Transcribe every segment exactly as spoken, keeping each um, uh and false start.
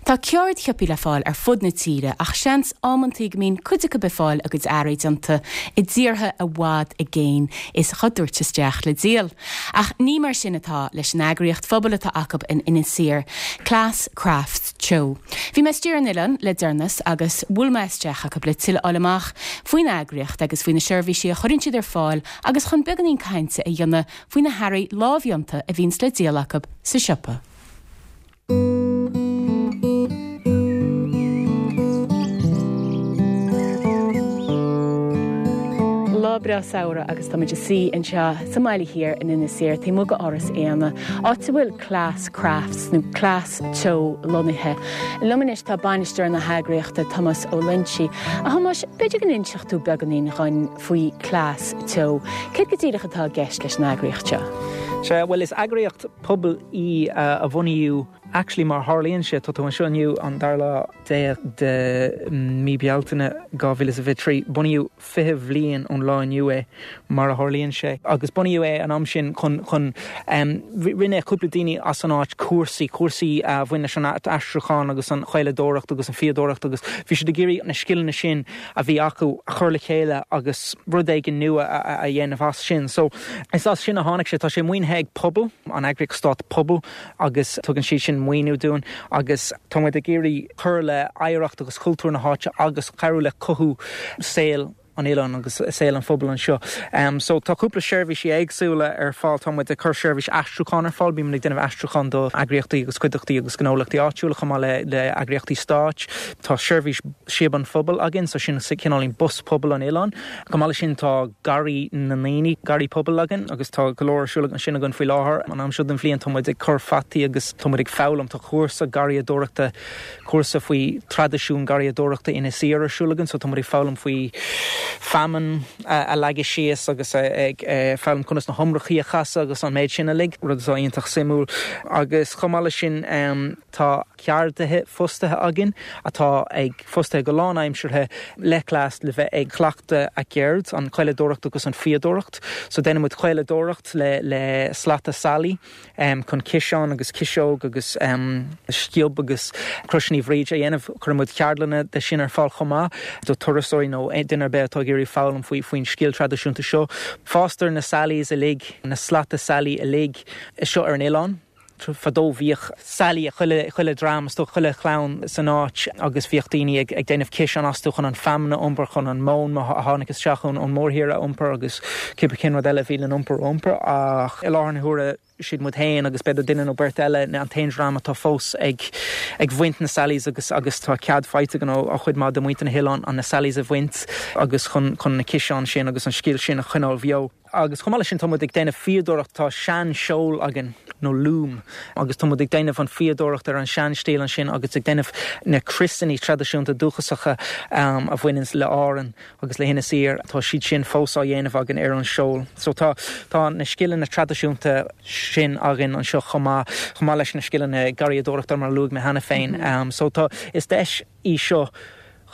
Tá ceardshopaí le fáil ar fud na tíre ach seans amantaí go mbíonn cuid acu ag fáil a gcuid earraí déanta i dtíortha i bhfad i gcéin is á dtabhairt isteach le díol. Ach ní mar sin atá leis an eagraíocht phobail atá acu in Inis Oírr, Cleas Crafts Teo. Bhí mé istigh ar an oileán le deireanas agus bhuail mé isteach acu le tuilleadh a fháil amach faoin eagraíocht agus faoi na seirbhísí a chuireann siad ar fáil agus chun beagáinín cainte a dhéanamh faoi na hearraí lámhdhéanta a bhíonns le díol acu sa siopa. Lá breá samhraidh agus táimid ag suí anseo sa mBaile Thiar in Inis Oírr taobh amuigh d'Áras Éanna, áit a bhfuil Cleas Crafts nó Cleas Teo lonnaithe. Liom anois tá bainisteoir na heagraíochta Tomás Ó Loinsigh. A Thomáis, b'fhéidir go n-inseodh tú beagáinín dhúinn faoi Cleas Teo. Céard go díreach atá i gceist leis an eagraíocht seo? Sea, bhuel is eagraíocht pobail í a bunaíodh actually mar tharlaíonn sé tá tú anseo inniu an dara lá déag de mí Bealtaine dhá mhíle is a fiche trí. Bunaíodh fiche bhliain ón lá inniu é mar a tharlaíonn sé agus bunaíodh é an am sin chun chun um, rinne cúpla daoine as an áit cúrsaí, cúrsaí a bhain leis an aistriúchán agus an chaoladóireacht agus an fhíodóireacht agus bhí siad ag iarraidh na scileanna sin a bhí acu a chur le chéile agus rud éigin nua a, a dhéanamh as sin. So is as sin a tháinig sé tá sé maoinithe ag pobal an eagraíocht stáit pobal agus tugann siad sin maoiniú dúinn agus tá muid ag iarraidh cur le hoidhreacht agus cultúr na háite agus cabhrú le cothú saol an oileáin agus saol an phobail anseo. Um, so tá cúpla seirbhísí éagsúla ar fáil tá muid ag cur seirbhís aistriúcháin ar fáil, bímid ag déanamh aistriúchán do eagraíochtaí agus cuideachtaí agus gnólachtaí áitiúla chomh maith le le eagraíochtaí stáit. Tá seirbhís Síob an Phobail againn, so sin cineáilín bus pobail an oileáin. Chomh maith leis sin tá garraí na ndaoine, garraí pobail againn agus tá go leor ar siúl ansin againn faoi láthair. An am seo den bhliain tá muid ag cur fataí agus tá muid ag foghlaim tá cúrsa garraíodóireachta cúrsa faoi traidisiún garraíodóireachta Inis Oírr ar siúl againn, so tá muid ag foghlaim faoi feamainn a leagadh síos agus ag foghlaim conas na hiomrachaí a chasadh agus an méid sin uilig, rud atá iontach suimiúil. Agus chomh maith leis sin tá ceardaithe fostaithe againn atá ag fostaithe go lánaimseartha le Cleas le bheith ag cleachtadh a gceird, an chaoladóireacht agus an fhíodóireacht. So déanann muid caoladóireacht le le slata sailí um, chun ciseán agus ciseog agus um, sciob agus croiseanna Bhríde a dhéanamh. Cuireann muid ceardlanna de sin ar fáil chomh maith do turasóirí nó duine ar bith atá ag iarraidh foghlaim faoi faoin scil traidisiúnta seo. Fástar na sailís uilig, na slata sailí uilig seo ar an oileán. Fadó bhíodh sailí ag chuile chuile dream is dócha chuile chlann san áit agus bhíodh daoine ag ag déanamh ciseán astu chun an feamainn a iompar chun an mhóin a tháinig isteach ón ón mórthír a iompar agus cibé cén rud eile a bhí le iompar a iompar ach i láthair na huaire siad muid féin agus b'fhéidir duine nó beirt eile an t-aon dream atá fós ag ag bhaint na sailís agus agus tá cead faighte againn ó ó chuid maith de mhuintir na hoileáin an na sailís a bhaint agus chun chun na ciseáin sin agus an scil sin a choinneáil bheo. Agus chomh maith leis sin tá muid ag déanamh fíodóireacht tá sean-seol againn nó loom agus tá muid ag déanamh an fíodóireacht ar an sean-stíl ansin agus ag déanamh na criosanna traidisiúnta dúchasacha um, a bhaineann le Árainn agus le hInis Oírr tá siad sin fós á dhéanamh againn ar an seol. So tá tá na scileanna traidisiúnta sin againn anseo chomh maith chomh maith leis na scileanna garraíodóireachta mar a luaigh mé cheana féin. Mm -hmm. um, so tá is deis í seo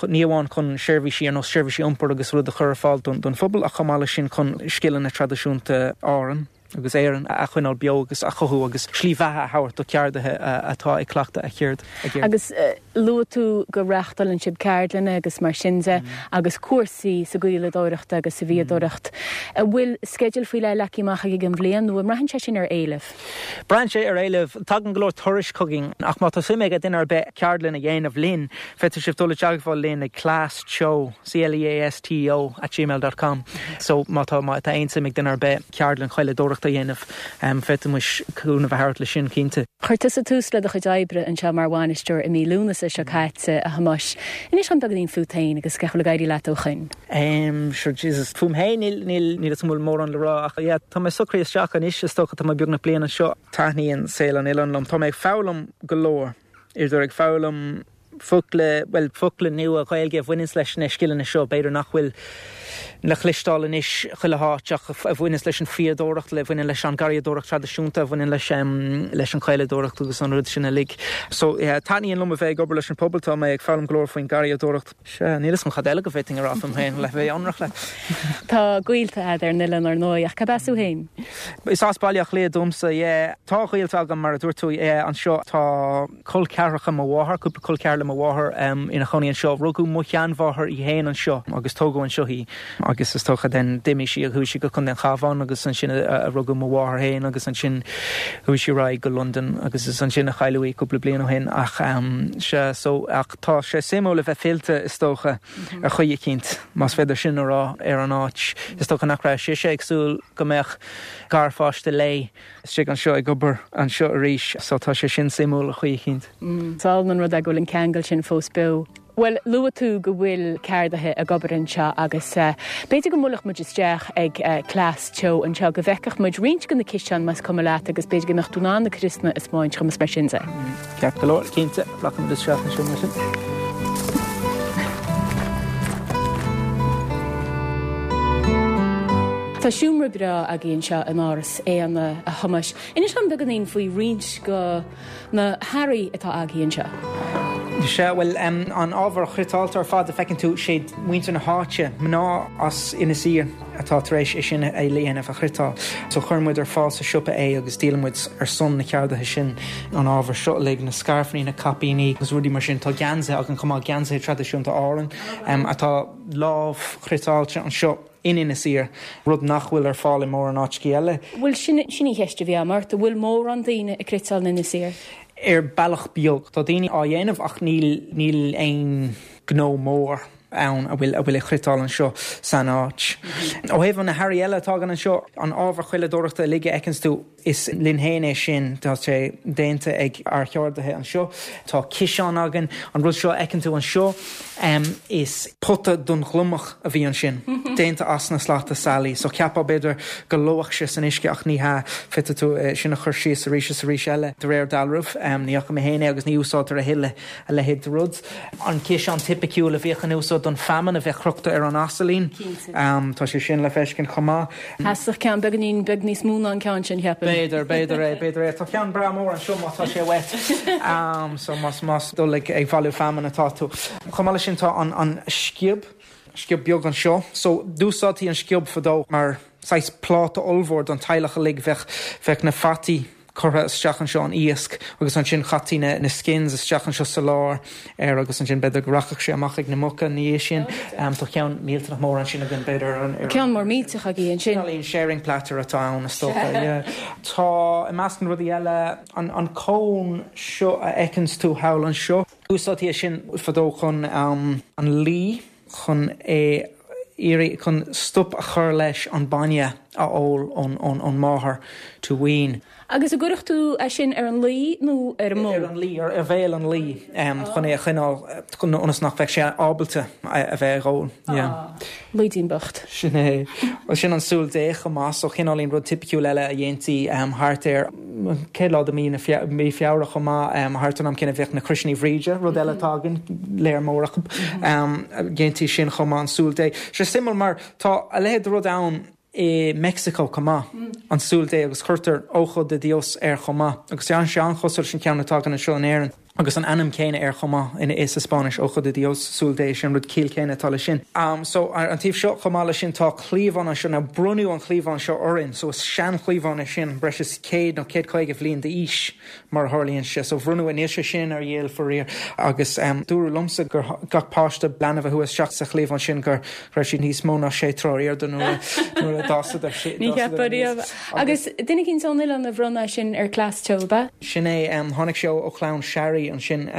ní amháin chun seirbhísí ar nós seirbhísí iompair agus rud a chur ar fáil don, don phobal ach chomh maith leis sin chun scileanna traidisiúnta Árann agus Éireann a choinneáil beo agus a chothú agus slí bheatha a thabhairt do cheardaithe atá ag cleachtadh a cheird. Agus uh, luaigh tú go reáchtálann sibh ceardlanna agus mar sin de mm. agus cúrsaí sa gcaoladóireacht agus sa bhfíodóireacht. Mm. Bhfuil sceideal faoi leith leagtha amach ag an bhliain nó an mbraitheann sé sin ar éileamh? Braitheann sé ar éileamh tagann go leor turais chugainn ach má tá suim ag duine ar bith ceardlann a dhéanamh linn, féadfaidh sibh dul i dteagmháil linn ag cleasteo C-L-E-A-S-T-O at gmail.com so má tá má tá aon suim ag duine ar bith ceardlann chaoladóireachta a dhéanamh um, féadfaimid cúnamh a thabhairt leis sin cinnte. Chuir tusa tús le do chuid oibre anseo mar bhainisteoir i mí Lúnasa seo caite a Thomáis. Inis dom beagáinín fút féin agus cén chaoi a bhfuil ag éirí leat ó shin. Um, sure Jesus fúm féin níl níl níl is bhfuil mórán le rá ach yeah, tá mé socraithe isteach anois is dócha tá mé beagnach bliain anseo taitníonn saol an oileáin liom. Tá mé ag foghlaim go leor. Idir ag foghlaim Focla, bhuel, focla nua Ghaeilge a bhaineanns leis na scileanna seo, b'fhéidir nach bhfuil le cloisteáil anois chuile háit ach a bhaineanns leis an fhíodóireacht, le bhaineann leis an garraíodóireacht traidisiúnta, a bhaineann leis leis an chaoladóireacht agus an rud sin uilig. So yeah, taitníonn liom a bheith ag obair leis an pobal, tá mé ag foghlaim go leor faoin garraíodóireacht. Sea, níl 'fhios agam cad eile go bhféadfainn a rá fúm féin le bheith ionraic leat. Tá gaolta a'd ar an oileán ar ndóigh, ach cad as thú féin? Is as Baile Átha Cliath domsa, yeah. Tá gaolta agam mar a dúirt tú, yeah, anseo tá col ceathracha mo mháthar, cúpla col ceathar le mo mháthair ina chónaí anseo. Rugadh mo sheanmháthair í féin anseo agus tógadh anseo í agus is dócha then d'imigh sí a chuaigh sí go Contae an Chabháin agus ansin a rugadh mo mháthair féin agus ansin chuaigh sí ar aghaidh go Londain agus is ansin a cailleadh í cúpla bliain ó shin ach sea so ach tá sé suimiúil a bheith fillte is dócha ar chaoi eicínt más féidir sin a rá ar an áit. Is dócha nach raibh sise ag súil go mbeadh garpháiste léi istigh anseo ag obair anseo arís so tá sé sin suimiúil ar chaoi eicínt. Is álainn an rud é go bhfuil an ceangal sin fós beo. Bhuel, luaigh tú go bhfuil ceardaithe ag obair anseo agus b'fhéidir go mbuailfeadh muid isteach ag Cleas Teo anseo go bhfeicfeadh muid roinnt de na ciseáin más cuma leat agus b'fhéidir go mbeadh tú in ann na criosanna a spáint dhom is mar sin de. Ceart go leor, cinnte, rachaidh muid isteach anseo mar sin. Tá seomra breá agaibh anseo in Áras Éanna, a Thomáis. Inis dom beagáinín faoi roinnt de na hearraí atá agaibh anseo. Sea, bhuel, an ábhar chniotáilte ar fad a feiceann tú, sé muintir na háite, mná as Inis Oírr atá tar éis é sin a dhéanamh, a chniotáil. So chuir muid ar fáil sa siopa é agus díolann muid ar son na ceardaithe sin an ábhar seo uilig, na scairfeanna, na caipíní agus rudaí mar sin. Tá geansaithe againn chomh maith, geansaithe traidisiúnta Árann atá lámh-chniotáilte anseo in Inis Oírr, rud nach bhfuil ar fáil i mórán áiteacha eile. Bhuel, sin sin í cheist a bhí agam ort, an bhfuil mórán daoine ag cniotáil in Inis Oírr? Ar bealach beag. Tá daoine á dhéanamh ach níl níl aon gnó mór ann a bhfuil a bhfuil ag cniotáil anseo san áit. Ó thaobh na hearraí eile atá againn anseo, an ábhar caoladóireachta uilig a fheiceanns tú, is linn féin é sin, tá sé déanta ag ár cheardaithe anseo. Tá ciseán againn, an rud seo a fheiceann tú anseo, is pota don ghliomach a bhí ansin, déanta as na slata sailí. So cheapfá b'fhéidir go lobhfadh sé san uisce ach ní hea, féadfaidh tú é sin a chur síos arís is arís eile. De réir dealraimh, ní fhaca mé féin é agus ní úsáidtear a thuilleadh a leithéid de rud. An ciseán tipiciúil a bhíodh in úsáid don feamainn a bheith crochta ar an asailín. Tá sé sin le feiscint chomh maith. Sheasfadh ceann beagáinín beag níos mó ná an ceann sin, cheapfainn. B'fhéidir, b'fhéidir é, b'fhéidir é. Tá ceann breá mór anseo má tá sé uait. So más, más dul ag, ag bailiú feamainn atá tú. Chomh maith leis sin tá an, an sciob, sciob beag anseo. So d'úsáidtí an sciob fadó mar saghas pláta ollmhór don teaghlach uilig. Bheadh, bheadh na fataí curtha isteach anseo, an iasc, agus ansin chaití na, na skins isteach anseo sa lár air agus ansin b'fhéidir go rachadh sé amach ag na muca ina dhiaidh sin. Tá ceann millteanach mór ansin againn, b'fhéidir ar an, ar an. Ceann mór millteach agaibh ansin. Cineáilín sharing platter atá ann is dócha, yeah. Tá, i measc na rudaí eile, an, an cón seo a fheiceanns tú thall anseo. Úsáidtí é sin fadó chun an lao, chun é iarraidh, chun stop a chur leis an bainne a ól ón, ón, ón máthair to wean. Agus an gcuirfeadh tú é sin ar an lao nó ar an mbó? Ar an lao, ar bhéal an lao, chun é a choinneáil, chun, ionas nach mbeadh sé ábalta a bheith ag ól. Yeah. Laoidín bocht. Sin é. Bhuel, sin an súil Dé chomh maith, so cineáilín rud tipiciúil eile a dhéantaí thart ar an chéad lá de mí na, mí Feabhra chomh maith, thart ar an am céanna bheadh na Croiseanna Bhríde, rud eile atá againn, léar mór acu, dhéantaí sin chomh maith, an súil Dé. Sé suimiúil mar tá a leithéid de rud ann i Meicsiceo chomh maith, an súil Dé, agus cuirtear Ojo de Dios air chomh maith, agus tá sé an-chosúil leis an cheann atá againn anseo in Éirinn, agus an ainm céanna air chomh maith in sa Spáinnis, Ojo de Dios, súil Dé, sin an rud ciall céanna atá leis sin. So, ar an taobh seo chomh maith leis sin tá cliabhán anseo, now bronnadh an cliabhán seo orainn, so is sean-chliabhán é sin, breis is céad nó céad caoga bhliain d'aois mar a tharlaíonn sé, so bhronnadh é, níl sé sin ar dhíol faraor, agus dúradh liomsa gur gach páiste leanbh a chuaigh isteach sa chliabhán sin gur raibh siad níos mó ná sé troigh ar airde nuair a d'fhásadar. Ní cheapfá riamh. Agus duine eicínt ón oileán a bhronn é sin ar Cleas Teo, ab ea? Sin é. Tháinig sé ó chlann Sharry ansin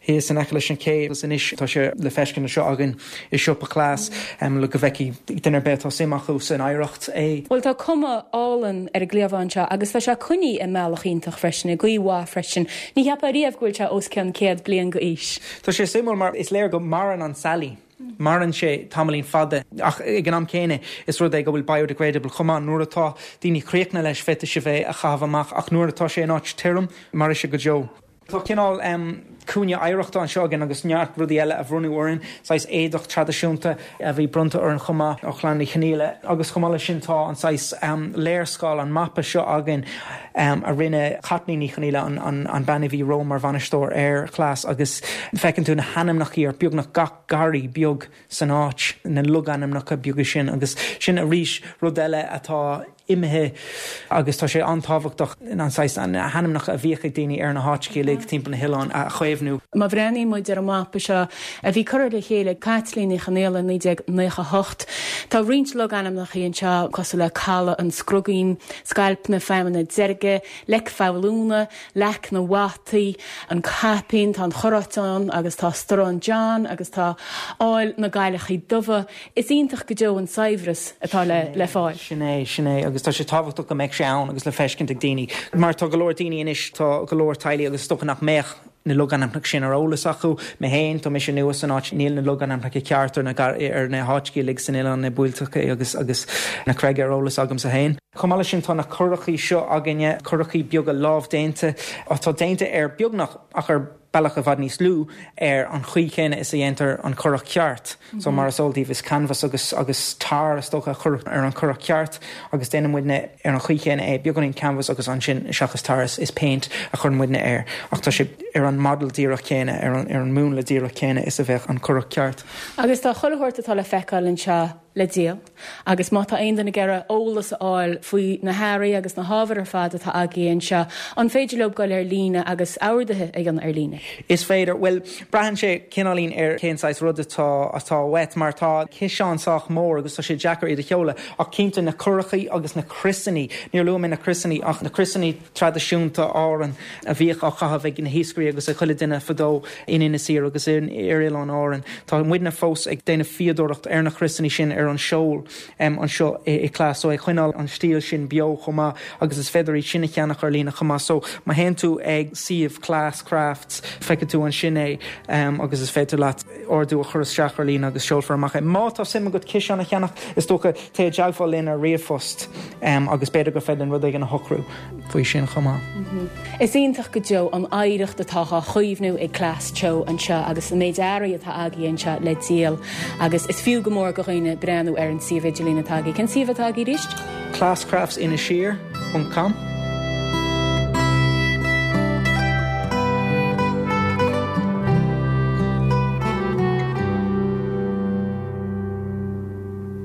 thíos in aice leis an ché agus anois tá sé le feiscint anseo againn i siopa Chleas le go bhfeicfidh duine ar bith atá suim acu san oidhreacht é. Bhuel tá cuma álainn ar an gcliabhán seo agus tá sé coinnithe i mbealach iontach freisin, i gcaoi mhaith freisin. Ní cheapfá riamh go bhfuil sé os cionn céad bliain d'aois. Tá sé suimiúil mar is léir go maireann an sailí. Maireann sé tamaillín fada ach ag an am céanna is rud é go bhfuil biodegradable chomh maith. Nuair atá daoine críochnaithe leis féadfaidh sé bheith a chaitheamh amach ach nuair atá sé in áit tirim mairfidh sé go deo. Tá cineál Cúinne oidhreachta anseo againn agus neart rudaí eile a bronnadh orainn, saghas éadach traidisiúnta a bhí bronnta orainn chomh maith ó Chlann Uí Chonghaile agus chomh maith leis sin tá an saghas um, léarscáil an mapa seo againn um, a rinne Caitlín Ní Chonghaile an, an, an bean a bhí romham mar bhainisteoir ar Chleas agus feiceann tú na hainmneacha ar beagnach gach garraí beag san áit na logainmneacha beaga sin agus sin arís rud eile atá imithe agus tá sé an-tábhachtach an saghas an hainmneacha a bhíodh ag daoine ar na háiteacha uilig timpeall na hoileáin a chaomhnú. Má bhreathnaíonn muid ar an mapa seo a bhí curtha le chéile Caitlín Ní Chonghaile naoi déag nócha hocht. Tá roinnt logainmneacha anseo cosúil le Caladh an Scrogaín, Scailp na Feamainne Deirge, Leic Foghlúna, Leac na bhFataí, an Caipín, tá an Chorráiteán agus tá Storán John agus tá Áil na gCailleachaí Dubha. Is iontach go deo an saibhreas atá le le fáil. Sin é sin é agus tá sé tábhachtach go mbeidh sé ann agus le feiscint ag daoine. Mar tá go leor daoine anois tá go leor teaghlaigh agus is dócha nach mbeadh na logainmneacha sin ar eolas acu mé féin tá mise nua san áit níl na logainmneacha ceart ar na ar na háiteacha uilig san oileán na buailteacha agus agus na creaga ar eolas agamsa féin. Chomh maith leis sin tá na curachaí seo againne curachaí beaga lámhdéanta atá déanta ar beagnach ach ar bealach i bhfad níos lú ar an chaoi chéanna is a dhéantar an curach ceart. Mm -hmm. So mar is eol daoibh is canvas agus agus tar is dócha chur ar an curach ceart agus déanann muidne ar an chaoi chéanna é beagáinín canvas agus ansin seachas tar is paint a chur muidne air ach tá sé ar an model díreach céanna ar an ar an múnla díreach céanna is a bheadh an curach ceart. Agus tá chuile shórt atá le feiceáil anseo le díol. Agus má tá aon duine ag iarraidh eolas a fháil faoi na hearraí agus na hábhair ar fad atá agaibh anseo, an féidir leo dul ar líne agus orduithe a dhéanamh ar líne. Is féidir well braitheann sé cineáilín ar cén saghas rud atá atá uait mar tá ciseán sách mór agus tá sé deacair iad a sheoladh ach cinnte na curachaí agus na criosanna níor luaigh mé na criosanna ach na criosanna traidisiúnta Árann a bhíodh á chaitheamh ag na hiascairí agus ag chuile duine fadó in Inis Oírr agus in ar Oileáin Árann. Tá muidne fós ag déanamh fíodóireacht ar na criosanna sin ar an seol um, anseo i, i Cleas so ag coinneáil an stíl sin beo chomh maith agus is féidir iad sin a cheannach ar líne chomh maith so má théann tú ag suíomh Cleas Crafts feicfidh tú ansin é um, agus is féidir leat ordú a chur isteach ar líne agus seolfar amach é. Má tá suim agat ciseán a cheannach is dócha téigh i dteagmháil linn ar ríomhphost um, agus b'fhéidir gur féidir rud éigin a shocrú faoi sin chomh maith. Mm -hmm. Is iontach go deo an oidhreacht atá á chaomhnú ag Cleas Teo anseo agus an méid earraí atá agaibh anseo le díol agus is fiú go mór do dhaoine breathnú ar an suíomh idirlín atá agaibh. Cén suíomh atá agaibh arís? Cleascraftsinisir.com.